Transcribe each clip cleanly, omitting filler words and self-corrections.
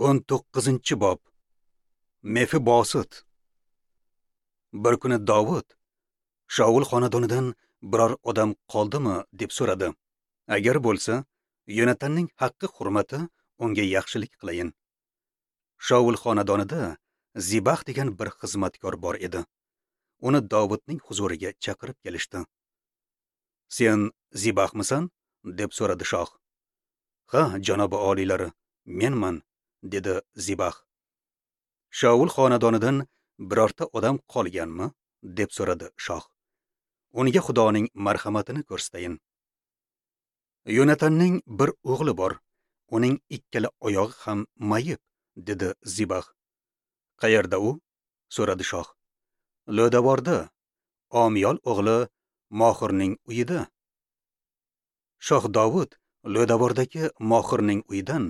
19-bob. Mefiboset. Bir kuni Dovud Shaul xonadonidan biror odam qoldimi deb so'radi. Agar bo'lsa, Yonatanning haqqi hurmati unga yaxshilik qilayin. Shaul xonadonida Zibax degan bir xizmatkor bor edi. Uni Dovudning huzuriga chaqirib kelishdi. "Sen Zibaxmisan?" deb so'radi shoh. "Ha, janobi oliylari, menman", dedi Zibax. "Shaul xonadonidan birorta odam qolganmi?" deb so'radi shoh. "Unga Xudoning marhamatini ko'rsatayin. Yonatanning bir o'g'li bor. Uning ikkala oyog'i ham mayib", dedi Zibax. "Qayerda u?" so'radi shoh. "Lo'davorda, Omiyol o'g'li Mohirning uyida." Shoh Dovud Lo'davordagi Mohirning uyidan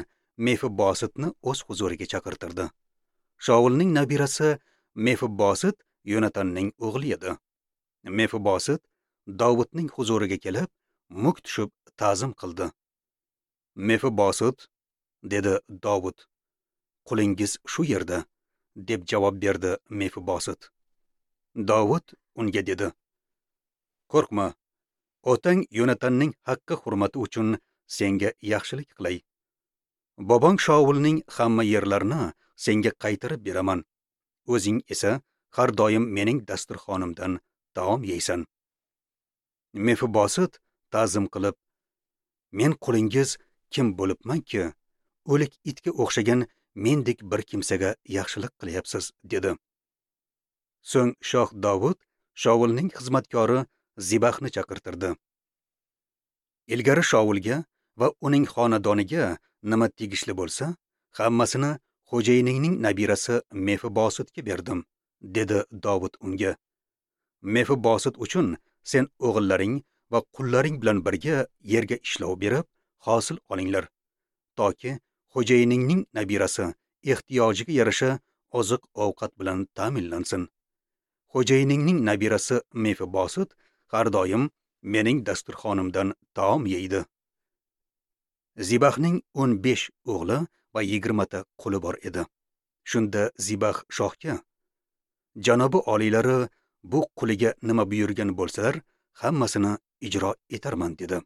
Mefibosetni o'z huzuriga chaqirtirdi. Shaulning nabirasi Mefiboset Yonatanning o'g'li edi. Mefiboset Dovudning huzuriga kelib, muk tushib ta'zim qildi. "Mefiboset", dedi Dovud. "Qulingiz shu yerda", deb javob berdi Mefiboset. Dovud unga dedi: "Qo'rqma, otang Yonatanning haqqi hurmati uchun senga yaxshilik qilay. Bobong Shaulning hamma yerlarini senga qaytarib beraman. O'zing esa har doim mening dasturxonimdan taom yeysan." Mefiboset ta'zim qilib: "Men qulingiz kim bo'libmanki, o'lik itga o'xshagan mendek bir kimsaga yaxshilik qilyapsiz?" dedi. So'ng shoh Dovud Shaulning xizmatkori Zibaxni chaqirtirdi. "Ilgari Shaulga va uning xonadoniga nima tegishli bo'lsa, hammasini xo'jayiningning nabirasi Mefibosetga berdim", dedi Dovud unga. "Mefiboset uchun sen o'g'illaring va qullaring bilan birga yerga ishlov berib, hosil olinglar, toki xo'jayiningning nabirasi ehtiyojiga yarasha oziq-ovqat bilan ta'minlansin. Xo'jayiningning nabirasi Mefiboset har doim mening dasturxonimdan taom yeydi." Zibaxning 15 o'g'li va 20 ta quli bor edi. Shunda Zibax shohga: "Janobi oliylari bu quliga nima buyurgan bo'lsalar, hammasini ijro etarman", dedi.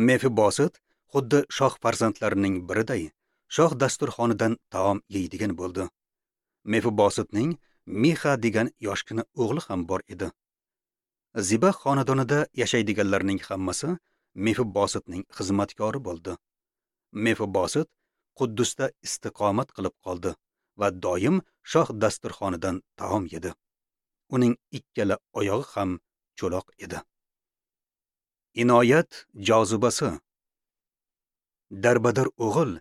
Mefiboset xuddi shoh farzandlarining biriday shoh dasturxonidan taom yeydigan bo'ldi. Mefibosetning Mixa degan yoshgina o'g'li ham bor edi. Zibax xonadonida yashaydiganlarning hammasi Mefibosetning xizmatkori bo'ldi. Mefiboset Quddusda istiqomat qilib qoldi va doim shoh dasturxonidan taom yedi. Uning ikkala oyog'i ham cho'loq edi. Inoyat jozibasi. Darbadar o'g'il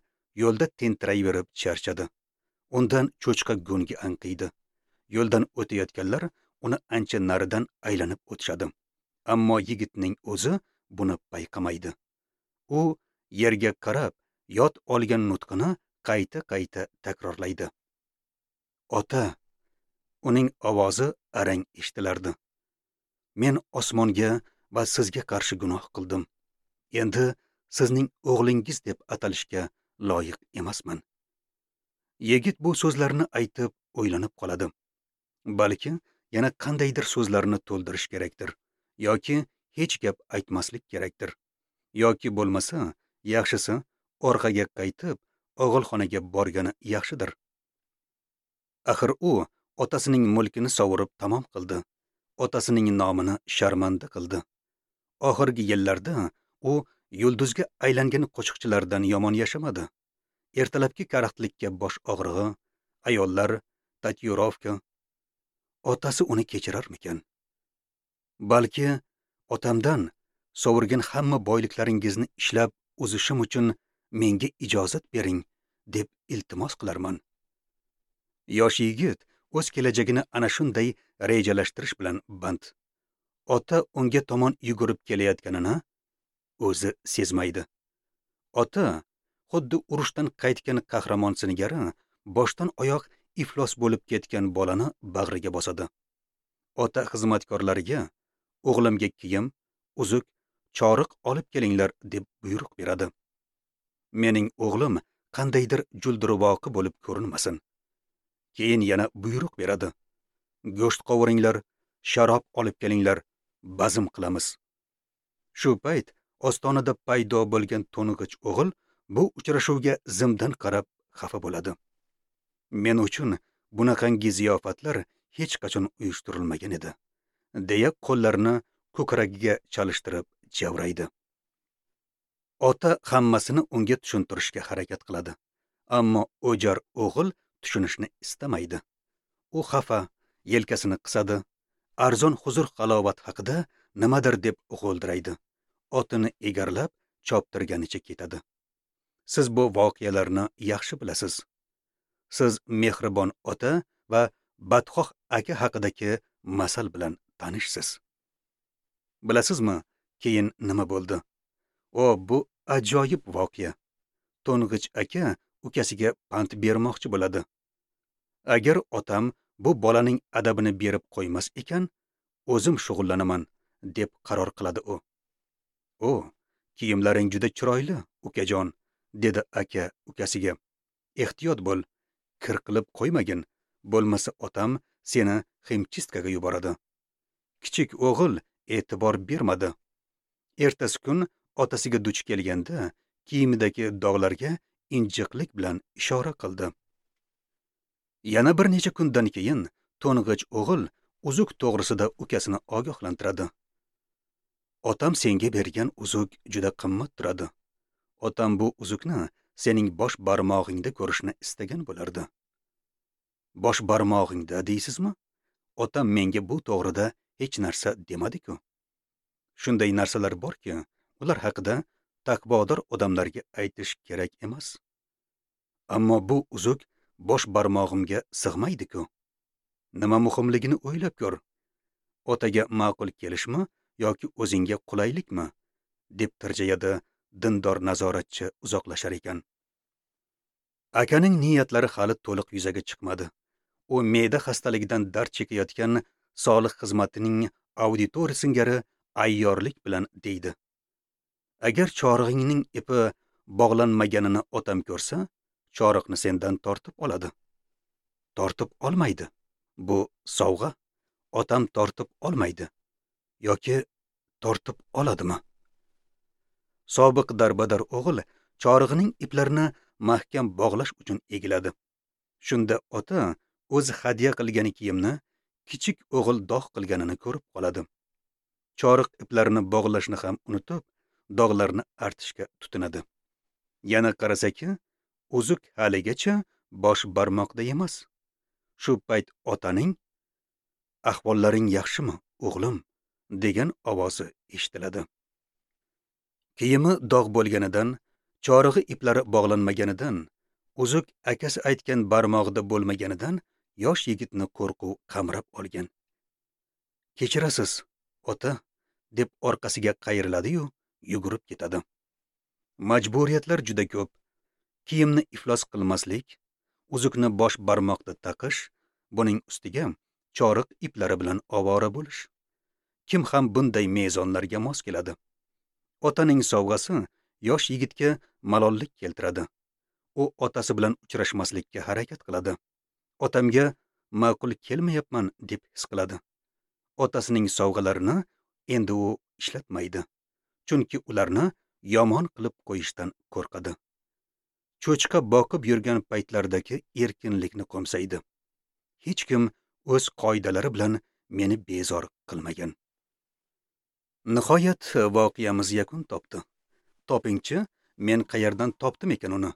yo'lda tentirayverib charchadi. Undan cho'chqa go'ngi anqiydi. Yo'ldan o'tayotganlar uni ancha naridan aylanib o'tishadi. Ammo yigitning o'zi buni payqamaydi. U yerga qarab, yod olgan nutqini qayta-qayta takrorlaydi. "Ota", uning ovozi arang eshitilardi. "Men osmonga va sizga qarshi gunoh qildim. Endi sizning o'g'lingiz deb atalishga loyiq emasman." Yigit bu so'zlarni aytib o'ylanib qoladi. Balki yana qandaydir so'zlarni to'ldirish kerakdir, yoki hech gap aytmaslik kerakdir, yoki bo'lmasa, yaxshisi orqaga qaytib og'ilxonaga borgani yaxshidir. Axir u otasining mulkini sovurib tamom qildi. Otasining nomini sharmanda qildi. Oxirgi yillarda u yulduzga aylangan qo'shiqchilardan yomon yashamadi. Ertalabki karaxtlikka bosh og'rig'i, ayollar, tatuirovka. Otasi uni kechirarmikan? Balki otamdan sovurgan hamma boyliklaringizni ishlab uzishim uchun menga ijozat bering deb iltimos qilarman. Yosh yigit o'z kelajagini ana shunday rejalashtirish bilan band. Ota unga tomon yugurib kelayotganini o'zi sezmaydi. Ota xuddi urushdan qaytgan qahramon singari boshdan oyoq iflos bo'lib ketgan bolani bag'riga bosadi. Ota xizmatkorlariga: "O'g'limga kiyim, uzuk, choriq olib kelinglar" deb buyruq beradi. "Mening o'g'lim qandaydir julduruvoqi bo'lib ko'rinmasin. Keyin yana buyruq beradi. Go'sht qovuringlar, sharob olib kelinglar, bazm qilamiz. Shu payt ostonada paydo bo'lgan to'ng'ich o'g'il bu uchrashuvga zimdan qarab xafa bo'ladi. Men uchun bunaqangi ziyofatlar hech qachon uyushtirilmagan edi, deya qo'llarini ko'kragiga chalishtirib javraydi. Ota hammasini unga tushuntirishga harakat qiladi, ammo o'jar o'g'il tushunishni istamaydi. U xafa, yelkasini qisadi, arzon huzur halovat haqida nimadir deb g'o'ldiraydi. Otini egarlab choptirganicha ketadi. Siz bu voqealarni yaxshi bilasiz. Siz mehribon ota va badxoh aka haqidagi masal bilan tanishsiz. Bilasizmi, keyin nima bo'ldi? O, bu ajoyib voqea. To'ng'ich aka ukasiga pand bermoqchi bo'ladi. Agar otam bu bolaning adabini berib qo'ymas ekan, o'zim shug'ullanaman, deb qaror qiladi u. O, kiyimlaring juda chiroyli, ukajon, dedi aka ukasiga. Ehtiyot bo'l, kir qilib qo'ymagin, bo'lmasa otam seni ximchistkaga yuboradi. Kichik o'g'il e'tibor bermadi. Ertasi kun otasiga duch kelganda kiyimidagi dog'larga injiqlik bilan ishora qildi. Yana bir necha kundan keyin to'ng'ich o'g'il uzuk to'g'risida ukasini ogohlantiradi. Otam senga bergan uzuk juda qimmat turadi. Otam bu uzukni sening bosh barmog'ingda ko'rishni istagan bo'lardi. Bosh barmog'ingda deysizmi? Otam menga bu to'g'rida hech narsa demadi-ku. Shunday narsalar borki, ular haqida taqvodor odamlarga aytish kerak emas. Ammo bu uzuk bosh barmog'imga sig'maydi-ku. Nima muhimligini o'ylab ko'r. Otaga ma'qul kelishmi yoki o'zingga qulaylikmi? Deb tirjayadi dindor nazoratchi uzoqlashar ekan. Akaning niyatlari hali to'liq yuzaga chiqmadi. U me'da xastaligidan dard chekayotgan soliq xizmatining auditori singari ayyorlik bilan deydi. Agar chorig'ingning ipi bog'lanmaganini otam ko'rsa, choriqni sendan tortib oladi. Tortib olmaydi. Bu sovg'a. Otam tortib olmaydi. Yoki tortib oladimi? Sobiq darbadar o'g'il chorig'ining iplarini mahkam bog'lash uchun egiladi. Shunda ota o'zi hadya qilgan kiyimni kichik o'g'il dog' qilganini ko'rib qoladi. Choriq iplarini bog'lashni ham unutib, dog'larni artishga tutinadi. Yana qarasaki, uzuk haligacha bosh barmoqda emas. Shu payt otaning "Ahvollaring yaxshimi, o'g'lim?" degan ovozi eshitiladi. Kiyimi dog' bo'lganidan, chorig'i iplari bog'lanmaganidan, uzuk akasi aytgan barmog'ida bo'lmaganidan yosh yigitni qo'rquv qamrab olgan. Kechirasiz, ota, deb orqasiga qayriladi-yu, yugurib ketadi. Majburiyatlar juda ko'p. Kiyimni iflos qilmaslik, uzukni bosh barmoqda taqish, buning ustiga choriq iplari bilan ovora bo'lish. Kim ham bunday mezonlarga mos keladi? Otaning sovg'asi yosh yigitga malollik keltiradi. U otasi bilan uchrashmaslikka harakat qiladi. Otamga ma'qul kelmayapman deb his qiladi. Otasining sovg'alarini endi u ishlatmaydi, chunki ularni yomon qilib qo'yishdan qo'rqadi. Cho'chqa boqib yurgan paytlardagi erkinlikni qo'msaydi. Hech kim o'z qoidalari bilan meni bezor qilmagan. Nihoyat voqeamiz yakun topdi. Topingchi, men qayerdan topdim ekan uni?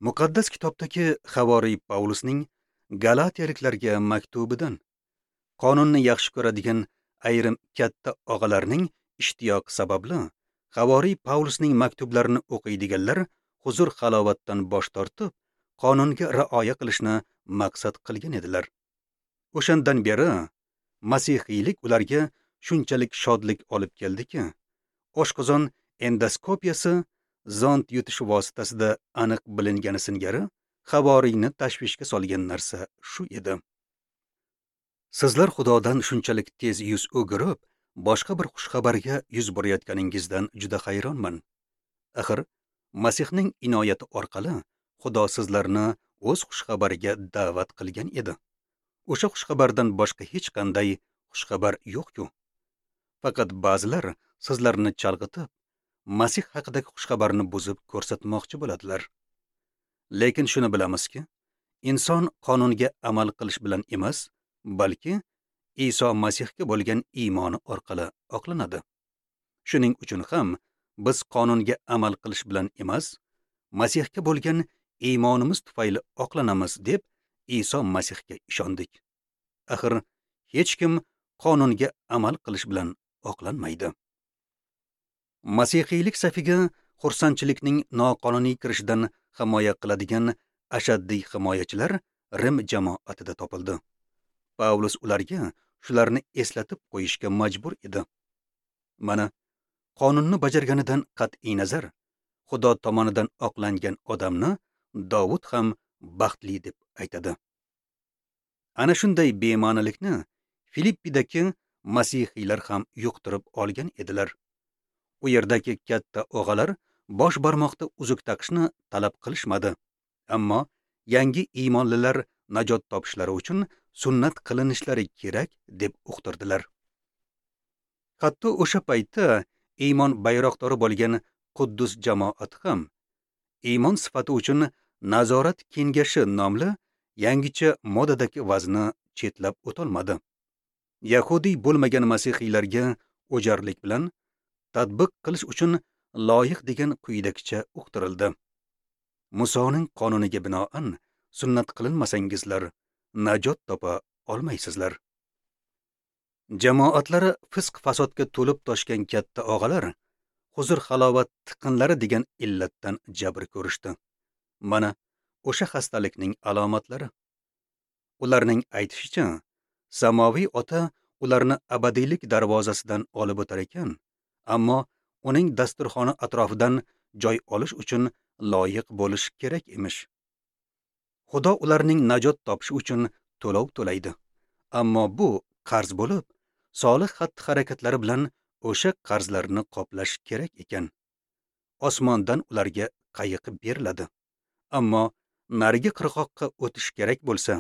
Muqaddas kitobdagi Havoriy Pavlusning Galatiyaliklarga maktubidan. Qonunni yaxshi ko'radigan ayrim katta og'alarning ishtiyoqi sababli Havoriy Pavlusning maktublarini o'qiydiganlar huzur halovatdan bosh tortib, qonunga rioya qilishni maqsad qilgan edilar. O'shandan beri masihiylik ularga shunchalik shodlik olib keldiki, oshqozon endoskopiyasi zond yutish vositasida aniq bilingani singari havoriyni tashvishga solgan narsa shu edi. Sizlar Xudodan shunchalik tez yuz o'girib, boshqa bir xushxabarga yuz burayotganingizdan juda hayronman. Axir Masihning inoyati orqali Xudo sizlarni o'z xushxabariga da'vat qilgan edi. O'sha xushxabardan boshqa hech qanday xushxabar yo'q-ku. Faqat ba'zilar sizlarni chalg'itib, Masih haqidagi xushxabarni buzib ko'rsatmoqchi bo'ladilar. Lekin shuni bilamizki, inson qonunga amal qilish bilan emas, balki Iso Masihga bo'lgan iymoni orqali oqlanadi. Shuning uchun ham biz qonunga amal qilish bilan emas, Masihga bo'lgan iymonimiz tufayli oqlanamiz deb Iso Masihga ishondik. Axir hech kim qonunga amal qilish bilan oqlanmaydi. Masihiylik safiga xursandchilikning noqonuniy kirishidan himoya qiladigan ashaddiy himoyachilar Rim jamoatida topildi. Pavlus ularga shularni eslatib qo'yishga majbur edi. Mana, qonunni bajarganidan qat'iy nazar, Xudo tomonidan oqlangan odamni Davud ham baxtli deb aytadi. Ana shunday bema'nilikni Filippidagi masihiylar ham yuqtirib olgan edilar. U yerdagi katta og'alar bosh barmoqda uzuk taqishni talab qilishmadi, ammo yangi iymonlilar najot topishlari uchun sunnat qilinishlari kerak deb uqtirdilar. Hatto o'sha paytda iymon bayroqdori bo'lgan Quddus jamoati ham iymon sifati uchun nazorat kengashi nomli yangicha modadagi vazni chetlab o'tolmadi. Yahudiy bo'lmagan masihiylarga o'jarlik bilan tatbiq qilish uchun loyiq degan quyidagicha uqtirildi. Musoning qonuniga binoan sunnat qilinmasangizlar najot topa olmaysizlar. Jamoatlari fisq fasodga to'lib toshgan katta og'alar huzur halovat tiqinlari degan illatdan jabr ko'rishdi. Mana o'sha xastalikning alomatlari. Ularning aytishicha, samoviy ota ularni abadiylik darvozasidan olib o'tar ekan, ammo uning dasturxoni atrofidan joy olish uchun loyiq bo'lish kerak emish. Xudo ularning najot topishi uchun to'lov to'laydi. Ammo bu qarz bo'lib, solih xatti-harakatlari bilan o'sha qarzlarni qoplash kerak ekan. Osmondan ularga qayiq beriladi. Ammo narigi qirg'oqqa o'tish kerak bo'lsa,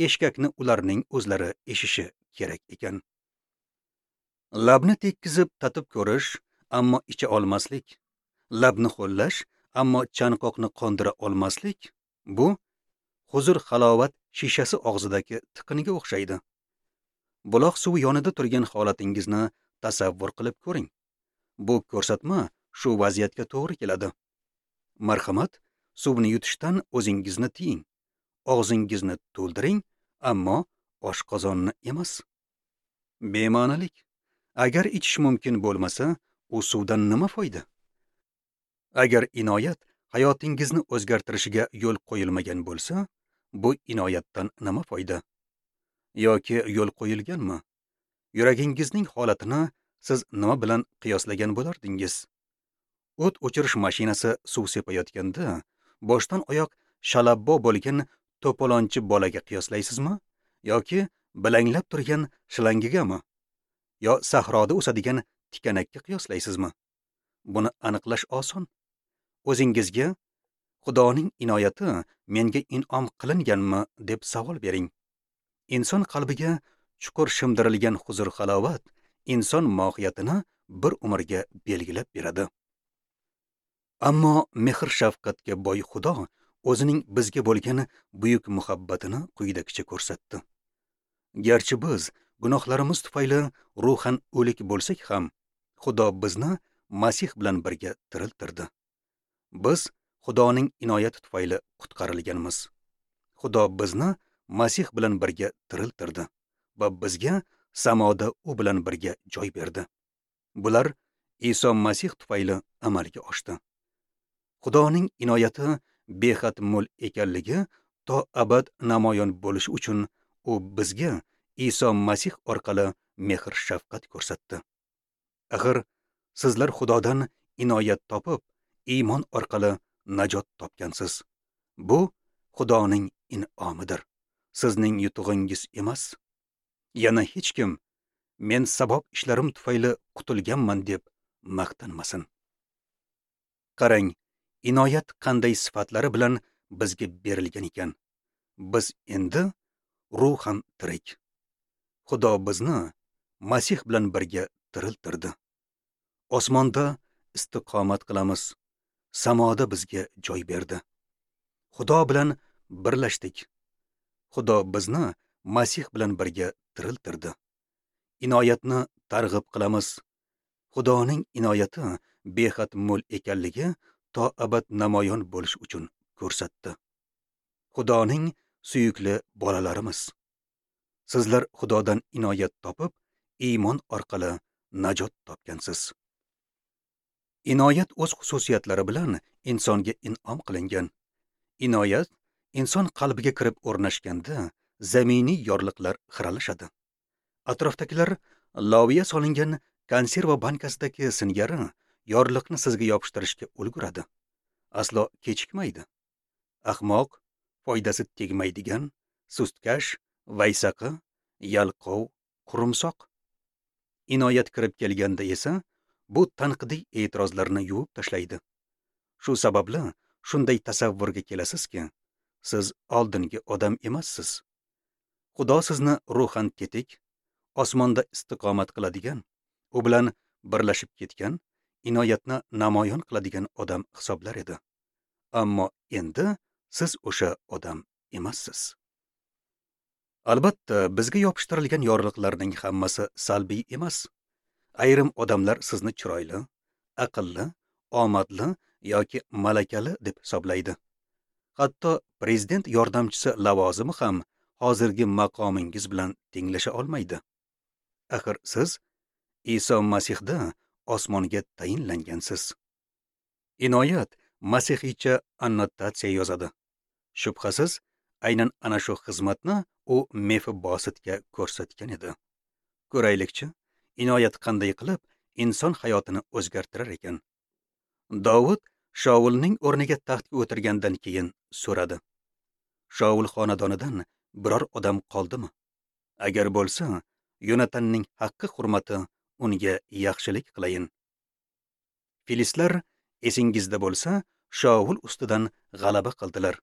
eshkakni ularning o'zlari eshishi kerak ekan. Labni tekkizib tatib ko'rish, ammo icha olmaslik, labni ho'llash, ammo chanqoqni qondira olmaslik, bu huzur halovat shishasi og'zidagi tiqinga o'xshaydi. Buloq suvi yonida turgan holatingizni tasavvur qilib ko'ring. Bu ko'rsatma shu vaziyatga to'g'ri keladi. Marhamat, suvni yutishdan o'zingizni tiying. Og'zingizni to'ldiring, ammo oshqozonni emas. Bema'nilik. Agar ichish mumkin bo'lmasa, u suvdan nima foyda? Agar inoyat hayotingizni o'zgartirishiga yo'l qo'yilmagan bo'lsa, bu inoyatdan nima foyda? Yoki yo'l qo'yilganmi? Yuragingizning holatini siz nima bilan qiyoslagan bo'lardingiz? O't o'chirish mashinasi suv sepayotganda boshdan oyoq shalabbo bo'lgan to'polonchi bolaga qiyoslaysizmi? Yoki bilanglab turgan shlangigami? Yo sahroda o'sadigan tikanakka qiyoslaysizmi? Buni aniqlash oson. O'zingizga Xudoning inoyati menga in'om qilinganmi deb savol bering. Inson qalbiga chuqur shimdirilgan huzur halovat inson mohiyatini bir umrga belgilab beradi. Ammo mehr shafqatga boy Xudo o'zining bizga bo'lgan buyuk muhabbatini quyidagicha ko'rsatdi. Garchi biz gunohlarimiz tufayli ruhan o'lik bo'lsak ham, Xudo bizni Masih bilan birga tiriltirdi. Biz Xudoning inoyati tufayli qutqarilganmiz. Xudo bizni Masih bilan birga tiriltirdi va bizga samoda u bilan birga joy berdi. Bular Iso Masih tufayli amalga oshdi. Xudoning inoyati behad mo'l ekanligi to abad namoyon bo'lishi uchun u bizga Iso Masih orqali mehr shafqat ko'rsatdi. Axir sizlar Xudodan inoyat topib, iymon orqali najot topgansiz. Bu Xudoning in'omidir. Sizning yutug'ingiz emas. Yana hech kim men savob ishlarim tufayli qutulganman deb maqtanmasin. Qarang, inoyat qanday sifatlari bilan bizga berilgan ekan. Biz endi ruhan tirik. Xudo bizni Masih bilan birga tiriltirdi. Osmonda istiqomat qilamiz. Samoda bizga joy berdi. Xudo bilan birlashdik. Xudo bizni Masih bilan birga tiriltirdi. Inoyatni targ'ib qilamiz. Xudoning inoyati behad mo'l ekanligi to abad namoyon bo'lish uchun ko'rsatdi. Xudoning suyukli bolalarimiz. Sizlar Xudodan inoyat topib, iymon orqali najot topgansiz. Inoyat o'z xususiyatlari bilan insonga in'om qilingan. Inoyat inson qalbiga kirib o'rnashganda zaminiy yorliqlar xiralashadi. Atrofdagilar loviya solingan konserva bankasidagi singari yorliqni sizga yopishtirishga ulguradi. Aslo kechikmaydi. Ahmoq, foydasi tegmaydigan, sustkash, vaysaqi, yalqov, qurumsoq. Inoyat kirib kelganda esa bu tanqidiy e'tirozlarni yuvib tashlaydi. Shu sababli shunday tasavvurga kelasizki, siz oldingi odam emassiz. Xudo sizni ruhan tetik, osmonda istiqomat qiladigan, u bilan birlashib ketgan, inoyatni namoyon qiladigan odam hisoblar edi. Ammo endi siz o'sha odam emassiz. Albatta, bizga yopishtirilgan yorliqlarning hammasi salbiy emas. Ayrim odamlar sizni chiroyli, aqlli, omadli yoki malakali deb hisoblaydi. Hatto prezident yordamchisi lavozimi ham hozirgi maqomingiz bilan tenglasha olmaydi. Axir siz Iso Masihda osmonga tayinlangansiz. Inoyat masihiycha annotatsiya yozadi. Shubhasiz, aynan ana shu xizmatni u Mefibositga ko'rsatgan edi. Ko'raylikchi, inoyat qanday qilib inson hayotini o'zgartirar ekan. Dovud Shaulning o'rniga taxtga o'tirgandan keyin so'radi: Shaul xonadonidan biror odam qoldimi? Agar bo'lsa, Yonatanning haqqi hurmati unga yaxshilik qilayin. Filistlar, esingizda bo'lsa, Shaul ustidan g'alaba qildilar.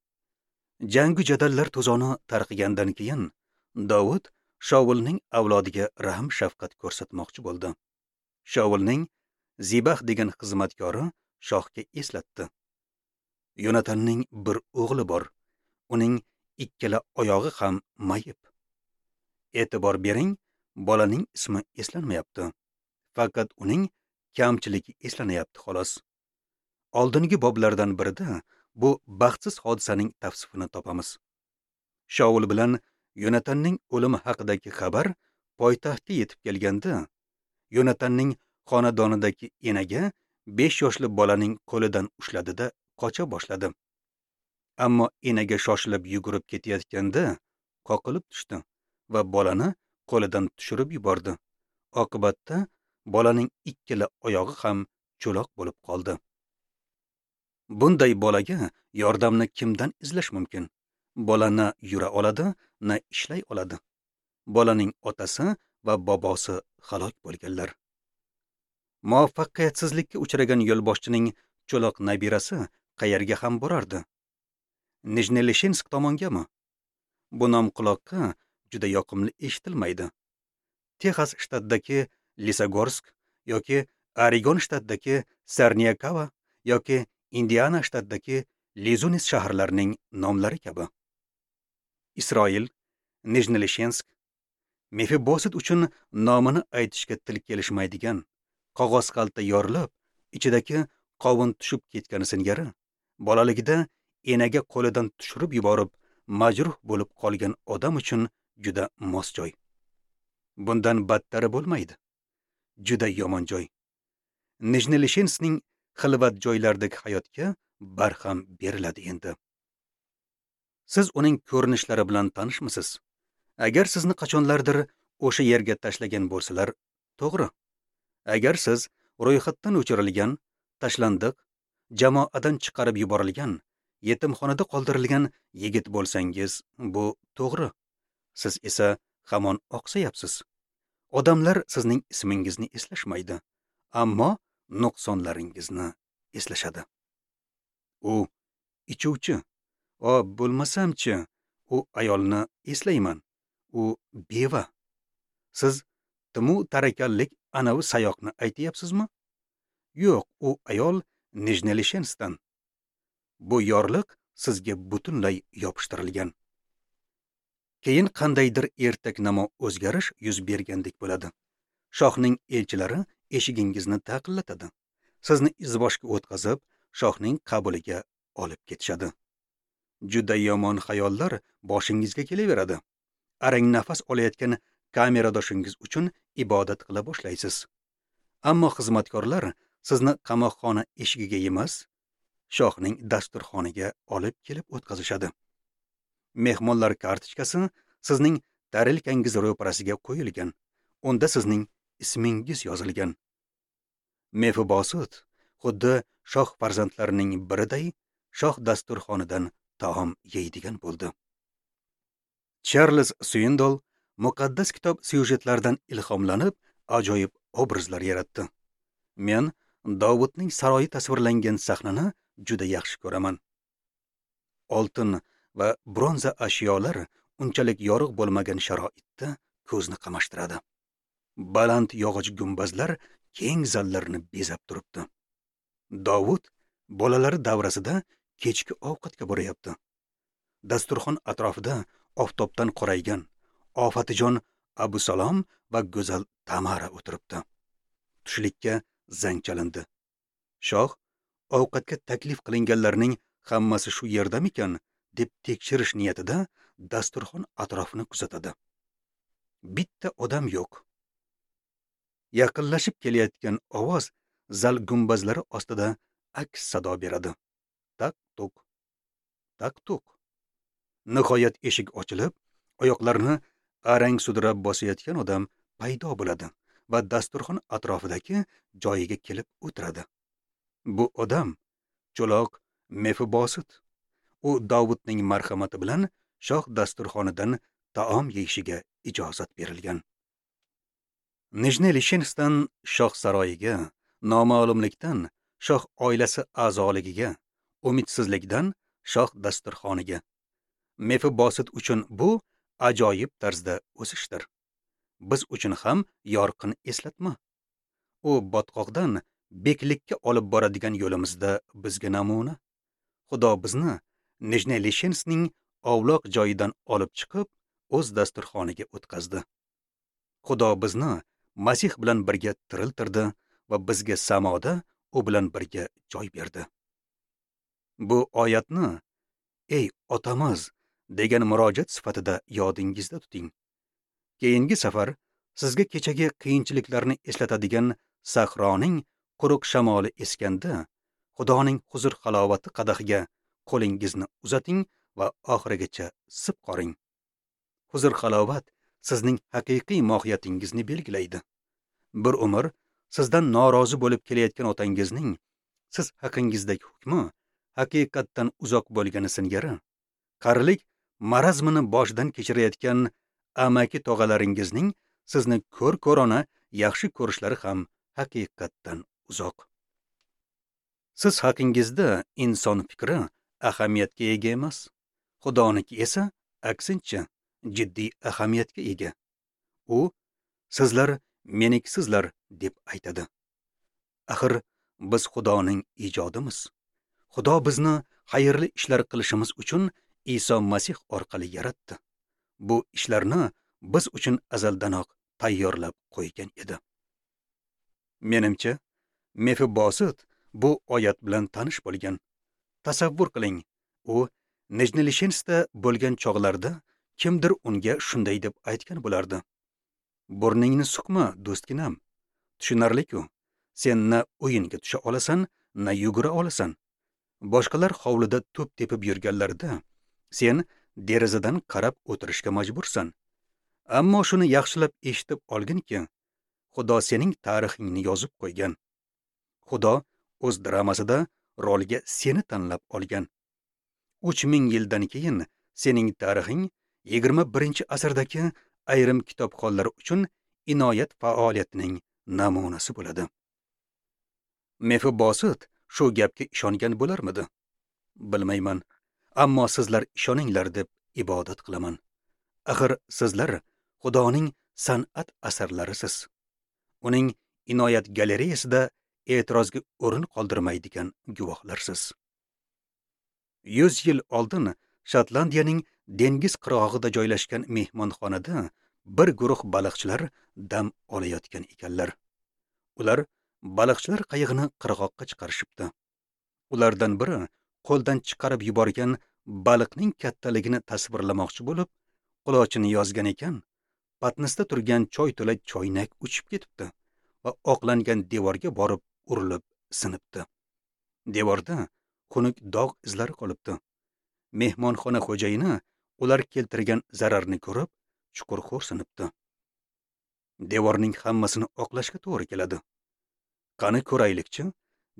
Jangu jadallar to'zoni tarqigandan keyin Dovud Shaulning avlodiga rahm shafqat ko'rsatmoqchi bo'ldi. Shaulning Zibax degan xizmatkori shohga eslatdi: Yonatanning bir o'g'li bor. Uning ikkala oyog'i ham mayib. E'tibor bering, bolaning ismi eslanmayapti. Faqat uning kamchiligi eslanyapti xolos. Oldingi boblardan birida bu baxtsiz hodisaning tavsifini topamiz. Shaul bilan Yonatanning o'limi haqidagi xabar poytaxtga yetib kelganda, Yonatanning xonadonidagi enaga 5 yoshli bolaning qo'lidan ushladida qocha boshladi. Ammo enaga shoshilib yugurib ketayotganda qoqilib tushdi va bolani qo'lidan tushirib yubordi. Oqibatda bolaning ikkala oyog'i ham cho'loq bo'lib qoldi. Bunday bolaga yordamni kimdan izlash mumkin? Bola na yura oladi, na ishlay oladi. Bolaning otasi va bobosi halok bo'lganlar. Muvaffaqiyatsizlikka uchragan yo'lboshchining cho'loq nabirasi qayerga ham borardi? Nijneleshensk tomongami? Bu nom quloqqa juda yoqimli eshitilmaydi. Texas shtatidagi Lisagorsk yoki Oregon shtatidagi Sarniakava yoki Indiana shtatidagi Lizunis shaharlarining nomlari kabi. Isroil, Nijneleshensk, Mefiboset uchun nomini aytishga til kelishmaydigan, qog'oz xalta yorilib, ichidagi qovun tushib ketgani singari, bolaligida enaga qo'lidan tushirib yuborib, majruh bo'lib qolgan odam uchun juda mos joy. Bundan battari bo'lmaydi. Juda yomon joy. Nijneleshenskning xilvat joylardagi hayotga barham beriladi endi. Siz uning ko'rinishlari bilan tanishmisiz? Agar sizni qachonlardir o'sha yerga tashlagan bo'lsalar, to'g'ri. Agar siz ro'yxatdan o'chirilgan, tashlandiq, jamoadan chiqarib yuborilgan, yetimxonada qoldirilgan yigit bo'lsangiz, bu to'g'ri. Siz esa hamon oqsayapsiz. Odamlar sizning ismingizni eslashmaydi, ammo nuqsonlaringizni eslashadi. U ichuvchi, O, bo'lmasam-chi, u ayolni eslayman. U beva. Siz Timu tarakallik anavi sayoqni aytyapsizmi? Yo'q, u ayol Nijnelishenskdan. Bu yorliq sizga butunlay yopishtirilgan. Keyin qandaydir ertaknamo o'zgarish yuz bergandek bo'ladi. Shohning elchilari eshigingizni taqillatadi. Sizni izboshga o'tkazib, shohning qabuliga olib ketishadi. Juda yomon xayollar boshingizga kelaveradi. Arang nafas olayotgan kameradoshingiz uchun ibodat qila boshlaysiz. Ammo xizmatkorlar sizni qamoqxona eshigiga emas, shohning dasturxoniga olib kelib o'tkazishadi. Mehmonlar kartochkasi sizning tarelkangiz ro'parasiga qo'yilgan. Unda sizning ismingiz yozilgan. Mefibosut xuddi shoh farzandlarining biriday shoh dasturxonidan taom yeydigan bo'ldi. Charles Swindoll muqaddas kitob syujetlaridan ilhomlanib ajoyib obrazlar yaratdi. Men Dovudning saroyi tasvirlangan sahnani juda yaxshi ko'raman. Oltin va bronza ashyolar unchalik yorug' bo'lmagan sharoitda ko'zni qamashtiradi. Baland yog'och gumbazlar keng zallarni bezab turibdi. Dovud bolalari davrasida kechki ovqatga boryapti. Dasturxon atrofida oftobdan qoraygan ofatijon Abusalom va go'zal Tamara o'tiribdi. Tushlikka zang chalindi. Shoh ovqatga taklif qilinganlarning hammasi shu yerdamikan deb tekshirish niyatida dasturxon atrofini kuzatadi. Bitta odam yo'q. Yaqinlashib kelayotgan ovoz zal gumbazlari ostida aks sado beradi. Tak-tuk. Tak-tuk. Nihoyat eshik ochilib, oyoqlarini arang sudrab bosayotgan odam paydo bo'ladi va dasturxon atrofidagi joyiga kelib o'tiradi. Bu odam cho'loq Mefibosut. U Dovudning marhamati bilan shoh dasturxonidan taom yeyishiga ijozat berilgan. Nijnelishenskdan shoh saroyiga, noma'lumlikdan shoh oilasi a'zoligiga, umidsizlikdan shoh dasturxoniga. Mefibosut uchun bu ajoyib tarzda o'sishdir. Biz uchun ham yorqin eslatma. U botqoqdan beklikka olib boradigan yo'limizda bizga namuna. Xudo bizni Nijnelishenskning ovloq joyidan olib chiqib, o'z dasturxoniga o'tkazdi. Xudo bizni Masih bilan birga tiriltirdi va bizga samoda u bilan birga joy berdi. Bu oyatni "Ey otamiz" degan murojaat sifatida yodingizda tuting. Keyingi safar sizga kechagi qiyinchiliklarni eslatadigan sahroning quruq shamoli eskanda, Xudoning huzur halovati qadahiga qo'lingizni uzating va oxirigacha sip qoring. Huzur halovat sizning haqiqiy mohiyatingizni belgilaydi. Bir umr sizdan norozi bo'lib kelayotgan otangizning siz haqingizdagi hukmi haqiqatdan uzoq bo'lgani singari, qarilik marazmini boshidan kechirayotgan amaki tog'alaringizning sizni ko'r-ko'rona yaxshi ko'rishlari ham haqiqatdan uzoq. Siz haqingizda inson fikri ahamiyatga ega emas, Xudoniki esa aksincha jiddiy ahamiyatga ega. U sizlar menikisizlar deb aytadi. Axir biz Xudoning ijodimiz. Xudo bizni xayrli ishlar qilishimiz uchun Iso Masih orqali yaratdi. Bu ishlarni biz uchun azaldanoq tayyorlab qo'ygan edi. Menimcha, Mefibosut bu oyat bilan tanish bo'lgan. Tasavvur qiling, u Nijnelishenskda bo'lgan chog'larda kimdir unga shunday deb aytgan bo'lardi: "Burningni suqma, do'stginam. Tushunarli-ku, sen na o'yinga tusha olasan, na yugura olasan. Boshqalar hovlida to'p tepib yurganlarida sen derazadan qarab o'tirishga majbursan. Ammo shuni yaxshilab eshitib olginki, Xudo sening tarixingni yozib qo'ygan. Xudo o'z dramasida rolga seni tanlab olgan. 3000 yildan keyin sening tarixing 21-asrdagi ayrim kitobxonlar uchun inoyat faoliyatining namunasi bo'ladi." Mefibosut shu gapga ishongan bo'larmidi? Bilmayman. Ammo sizlar ishoninglar deb ibodat qilaman. Axir sizlar Xudoning san'at asarlarisiz. Uning inoyat galereyasida e'tirozga o'rin qoldirmaydigan guvohlarsiz. 100 yil oldin Shotlandiyaning dengiz qirg'og'ida joylashgan mehmonxonada bir guruh baliqchilar dam olayotgan ekanlar. Ular baliqchilar qayig'ini qirg'oqqa chiqarishibdi. Ulardan biri qo'ldan chiqarib yuborgan baliqning kattaligini tasvirlamoqchi bo'lib, qulochini yozgan ekan, patnisda turgan choy to'la choynak uchib ketibdi va oqlangan devorga borib urilib sinibdi. Devorda xunuk dog' izlari qolibdi. Mehmonxona xo'jayini ular keltirgan zararni ko'rib, chuqur xo'rsinibdi. Devorning hammasini oqlashga to'g'ri keladi. Qani ko'raylikchi,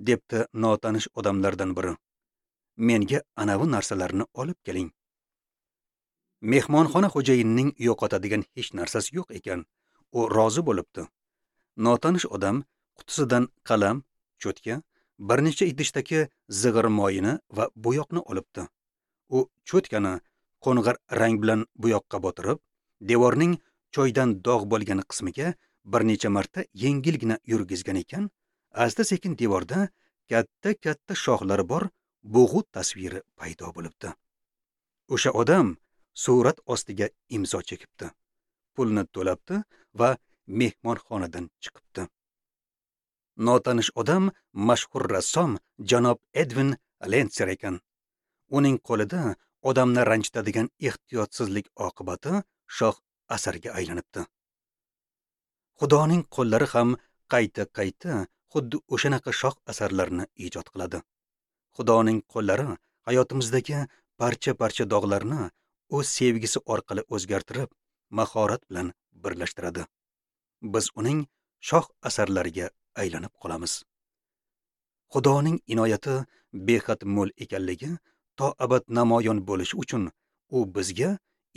debdi notanish odamlardan biri. Menga anavi narsalarni olib keling. Mehmonxona xo'jayinining yo'qotadigan hech narsasi yo'q ekan. U rozi bo'libdi. Notanish odam qutisidan qalam, cho'tka, bir necha idishdagi zig'ir moyini va bo'yoqni olibdi. U cho'tkani qo'ng'ir rang bilan bo'yoqqa botirib, devorning choydan dog' bo'lgan qismiga bir necha marta yengilgina yurgizgan ekan, asta-sekin devorda katta-katta shoxlari bor bo'g'u tasviri paydo bo'libdi. O'sha odam surat ostiga imzo chekibdi. Pulni to'labdi va mehmonxonadan chiqibdi. Notanish odam mashhur rassom janob Edvin Lentser ekan. Uning qo'lida odamni ranjitadigan ehtiyotsizlik oqibati shoh asarga aylanibdi. Xudoning qo'llari ham qayta-qayta xuddi o'shanaqa shoh asarlarni ijod qiladi. Xudoning qo'llari hayotimizdagi parcha-parcha dog'larni o'z sevgisi orqali o'zgartirib, mahorat bilan birlashtiradi. Biz uning shoh asarlariga aylanib qolamiz. Xudoning inoyati behad mo'l ekanligi to abad namoyon bo'lishi uchun u bizga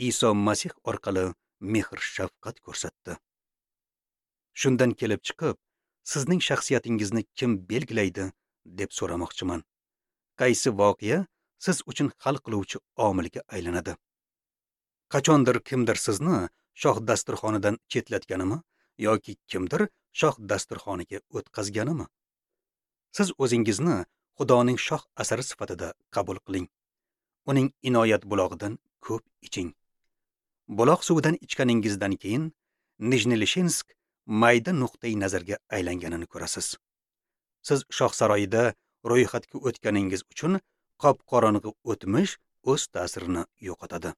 Iso Masih orqali mehr-shafqat ko'rsatdi. Shundan kelib chiqib, sizning shaxsiyatingizni kim belgilaydi deb so'ramoqchiman. Qaysi voqea siz uchun hal qiluvchi omilga aylanadi? Qachondir kimdir sizni shoh dasturxonidan chetlatganimi yoki kimdir shoh dasturxoniga o'tkazganimi? Siz o'zingizni Xudoning shoh asari sifatida qabul qiling. Uning inoyat bulog'idan ko'p iching. Buloq suvidan ichganingizdan keyin Nijnilishinsk mayda nuqtai nazarga aylanganini ko'rasiz. Siz shoh saroyida ro'yxatga o'tganingiz uchun qop-qorong'i o'tmish o'z ta'sirini yo'qotadi.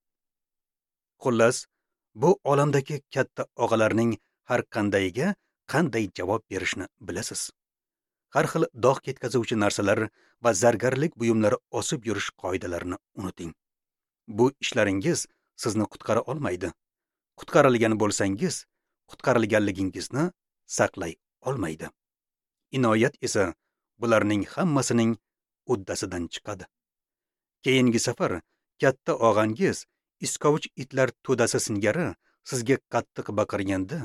Xullas, bu olamdagi katta og'alarning har qandayiga qanday javob berishni bilasiz. Har xil dog' ketkazuvchi narsalar va zargarlik buyumlari osib yurish qoidalarini unuting. Bu ishlaringiz sizni qutqara olmaydi. Qutqarilgan bo'lsangiz, qutqarilganligingizni saqlay olmaydi. Inoyat esa bularning hammasining uddasidan chiqadi. Keyingi safar katta og'angiz iskovich itlar to'dasi singari sizga qattiq baqirganda,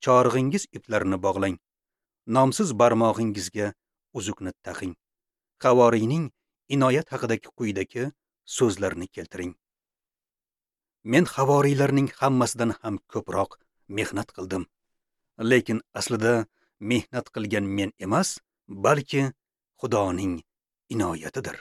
chorig'ingiz iplarini bog'lang. Nomsiz barmog'ingizga uzukni taqing. Havoriyning inoyat haqidagi quyidagi so'zlarni keltiring. Men havoriylarning hammasidan ham ko'proq mehnat qildim. Lekin aslida mehnat qilgan men emas, balki Xudoning inoyatidir.